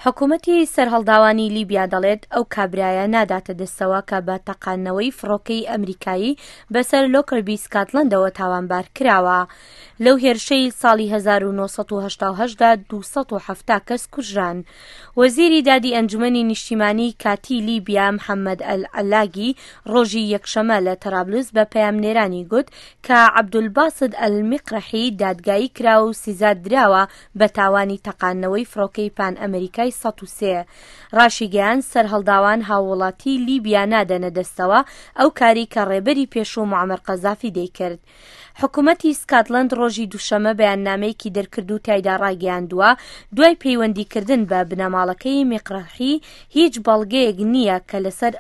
حکومەتی سەرهەڵداوانی لیبیا دەڵێت ئەو کابرایە ناداتە دەستەوە کە بە تەقاندنەوەی فڕۆکەی ئەمریکایی بەسەر لۆکەربی سکاتلەندەوە تاوانبار کراوە. لەو هێرشەی ساڵی 1988 دا 270 کەس کوژران. وەزیری دادی ئەنجومەنی نیشتیمانی کاتیی لیبیا محەمەد ئەلعەلاگی ڕۆژی یەکشەمە لە تەرابلس بە پەیامنێرانی گوت کە عەبدولباسد ئەلمیقرحی دادگایی کرا و سزا دراوە بە تاوانی تەقاندنەوەی فڕۆکەی پان ئەمریکای 103. ڕاشیگەیاند سەرهەڵداوان هاووڵاتیی لیبیا نادەنە دەستەوە ئەو کاری کە ڕێبەری پێشوو موعەمەر قەزافی دەیکرد. حکومەتی سکاتلەند ڕۆژی دووشەممە بەیاننامەیەکی دەرکرد و تیایدا ڕایگەیاندووە، دوای پەیوەندیکردن بە بنەماڵەکەی میقرحی هیچ بەڵگەیەک نییە کە لەسەر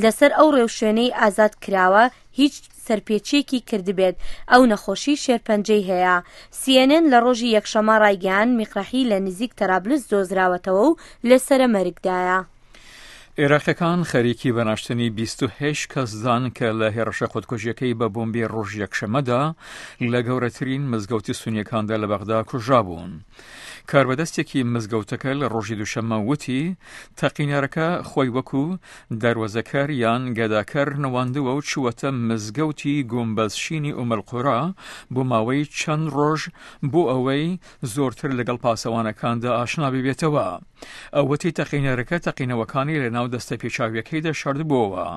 لەسەر ئەو ڕێوشوێنەی ئازاد کراوە هیچ سەرپێچیەکی کردبێت، ئەو نەخۆشی شێرپەنجەی هەیە. سی ئێن ئێن لە ڕۆژی یەکشەممە ڕایگەیاند میقرحی لە نزیک تەرابلس دۆزراوەتەوە و لە سەرەمەرگدایە. عێراقیەکان خەریکی بە ناشتنی 28 کەس دان کە لە هێڕشە خودکوژیەکەی بە بۆمبی ڕۆژ یەکشەمەدا لە گەورەترین مزگەوتی سونیەکاندا لە بەغدا کوژرابوون. کاربەدەستێکی مزگەوتەکە لە ڕۆژی دووشەممە وتی تەقینەرەکە خۆی وەکو دەروەزەکەر یان گەداکەر نواندووە و چووەتە مزگەوتی گومبەزشینی ئومەلقورا بۆ ماوەی چەند ڕۆژ بۆ ئەوەی زۆرتر لەگەڵ پاسەوانەکاندا ئاشنا ببێتەوە. ئەو وتی تەقینەرەکە تەقینەوەکانی لە ناو دەستە پێچاویەکەیدا شاردبووەوە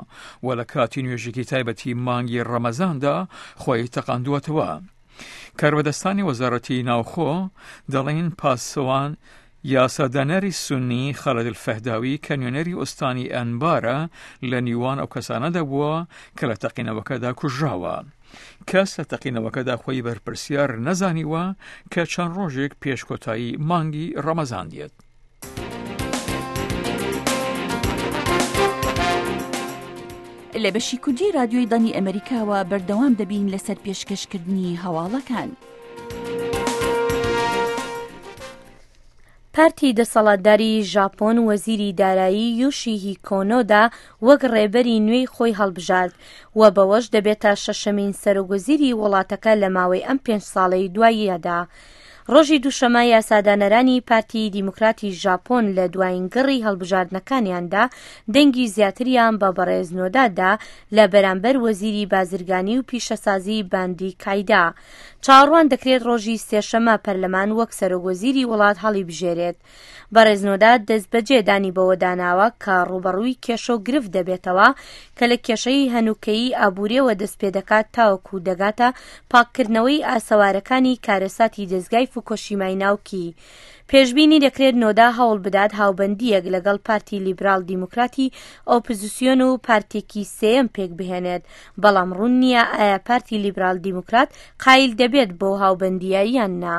و لە کاتی نوێژێکی تایبەتی مانگی ڕەمەزاندا خۆی تەقاندووەتەوە. کاربەدەستانی وەزارەتی ناوخۆ دەڵێن پاسەوان یاسادانەری سوننی خالد الفەهداوی کە نوێنەری ئوستانی ئەنبارە لە نیوان ئەو کەسانەدا بووە کە لە تەقینەوەکەدا کوژراوە. کەس لە تەقینەوەکەدا خۆی بەرپرسیار نەزانیوە کە چەند ڕۆژێک پێش کۆتایی مانگی ڕەمەزان دێت. لە بەشی کوردی رادیۆی دەنگی ئەمەریکاوە بەردەوام دەبین لەسەر پێشکەشکردنی هەواڵەکان. پارتی دەسەڵاتداری ژاپۆن وەزیری دارایی یوشیهیکۆ نۆدا وەک ڕێبەری نوێی خۆی هەڵبژارد و بەوەش دەبێتە شەشەمین سەرۆکوەزیری وڵاتەکە لە ماوەی ئەم پێنج ساڵەی دواییەدا. ڕۆژی دووشەمە یاسادانەرانی پارتی دیموکراتی ژاپۆن لە دوایین گەڕی هەڵبژاردنەکانیاندا دەنگی زیاتریان بە بەڕێز نۆدا دا لە بەرامبەر وەزیری بازرگانی و پیشەسازی باندی کایدا. چاوەڕوان دەکرێت ڕۆژی سێشەممە پەرلەمان وەک سەرۆکوەزیری وڵات هەڵیبژێرێت. بەڕێز نۆدا دەستبەجێ دانی بەوەدا ناوە کە ڕووبەڕووی کێشە و گرفت دەبێتەوە کە لە کێشەی هەنووکەیی ئابووریەوە دەستپێدەکات تاوەکو دەگاتە پاککردنەوەی ئاسەوارەکانی کارەساتی دەزگای فوکۆشیمای ناوکی. پێشبینی دەکرێت نۆدا هەوڵ بدات هاوبەندییەک لەگەڵ پارتی لیبراڵ دیموکراتی ئۆپزسیۆن و پارتێکی سێیەم پێکبهێنێت، بەڵام ڕوون نییە ئایا پارتی لیبرال دیموکرات قایل دەبێت بەو هاوبەندییە یان نا.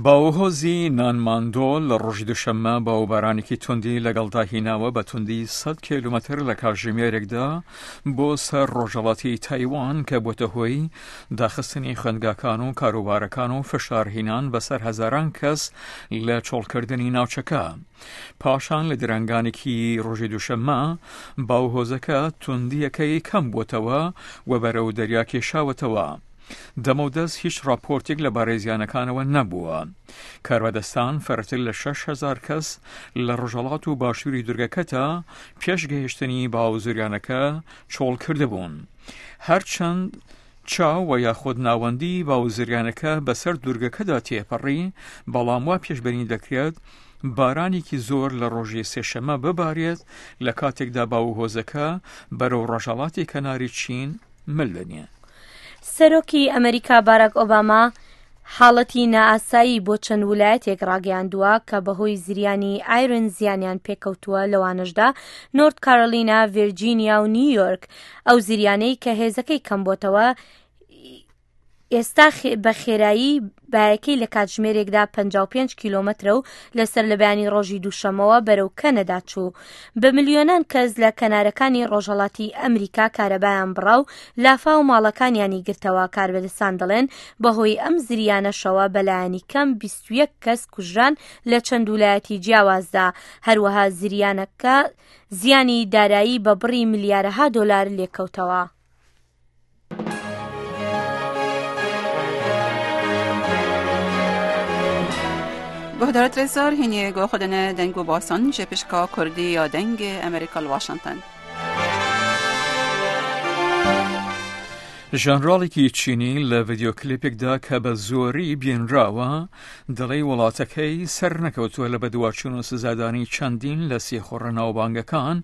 باوهۆزی نانماندۆ لە ڕۆژی دووشەممە باوبارانێکی توندی لەگەڵدا هیناوە بە توندی 100 کیلومتر لە کاتژمێرێکدا بۆ سەر ڕۆژهەڵاتی تایوان کە بۆتە هۆی داخستنی خوێندگاکان و کاروبارەکان و فشارهینان بەسەر هەزاران کەس لە چۆڵکردنی ناوچەکە. پاشان لە درەنگانێکی ڕۆژی دووشەممە باوهۆزەکە توندییەکەی کەم بووەتەوە و بەرەو دەریا کێشاوەتەوە. دەمەودەست هیچ ڕاپۆرتێک لەبارەی زیانەکانەوە نەبووە. کاربەدەستان فرەتر لە 6000 کەس لە ڕۆژهەڵات و باشووری دورگەکەتا پێش گەیشتنی باو زریانەکە چۆڵ کردبوون. هەرچەند چاو و یاخود ناوەندی باو زریانەکە بەسەر دوورگەکەدا تێپەڕی، بەڵام وا پێشبینی دەکرێت بارانێکی زۆر لە ڕۆژی سێشەممە ببارێت لە کاتێکدا باوهۆزەکە بەرەو ڕۆژهەڵاتی کەناری چین مل دەنێ. سەرۆکی ئەمریکا باراک ئۆباما حاڵەتی نائاسایی بۆ چەند ولایەتێک ڕاگەیاندووە کە بەهۆی زریانی ئایرن زیانیان پێکەوتووە لەوانەشدا نۆرت کارۆلینا، ڤێرجینیا و نیویۆرک. ئەو زریانەی کە هێزەکەی کەمبۆتەوە ئێستا بە خێرایی بایەکەی لە کاتژمێرێکدا 55 کیلۆمەترە و لەسەر لە بەیانی ڕۆژی دووشەمەوە بەرەو کەنەدا چوو. بە ملیۆنان کەس لە کەنارەکانی ڕۆژهەڵاتی ئەمریکا کارەبایان بڕا و لافاو ماڵەکانیانی گرتەوە، کاربەدەستان دەڵێن بەهۆی ئەم زریانەشەوە بەلایەنی کەم 21 کەس کوژران لە چەند ولایەتی جیاوازدا، هەروەها زریانەکە زیانی دارایی بە بڕی ملیارەها دۆلار لێکەوتەوە. گۆهدارت رێزدار هینێ گۆ خودنە دەنگ و باسان ژە پشکا کوردی یا دەنگ ئەمریکا لە واشنتن. ژەنراڵێکی چینی لە ڤیدیۆ کلیپێکدا کە بە زۆری بینراوە دەڵێی وڵاتەکەی سەرنەکەوتووە لە بەدواچوون و سزادانی چەندین لە سیخوڕە ناوبانگەکان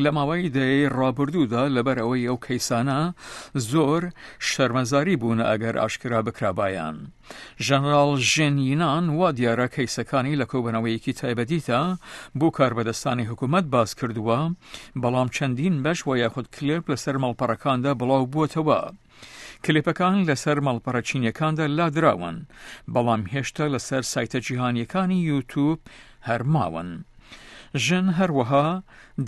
لە ماوەی دەیەی ڕابردوودا لەبەر ئەوەی ئەو کەیسانە زۆر شەرمەزاری بوونە ئەگەر ئاشکرا بکرابایان. ژەنراڵ ژێن یینان وا دیارە کەیسەکانی لە کۆبوونەوەیەکی تایبەتیدا بۆ کاربەدەستانی حکوومەت باس کردووە، بەڵام چەندین بەش وە یاخود کلێپ لەسەر ماڵپەڕەکاندا بڵاو بووەتەوە. کلیپەکان لەسەر ماڵپەڕە چینیەکاندا لادراون، بەڵام هێشتا لەسەر سایتە جیهانیەکانی یوتوب هەر ماون. ژن هەروەها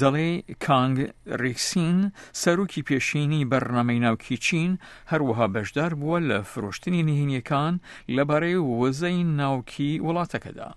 دەڵێ کانگ ریکسین، سەرۆکی پێشینی بەرنامەی ناوکی چین، هەروەها بەشدار بووە لە فرۆشتنی نهێنیەکان لەبارەی وزەی ناوکی وڵاتەکەدا.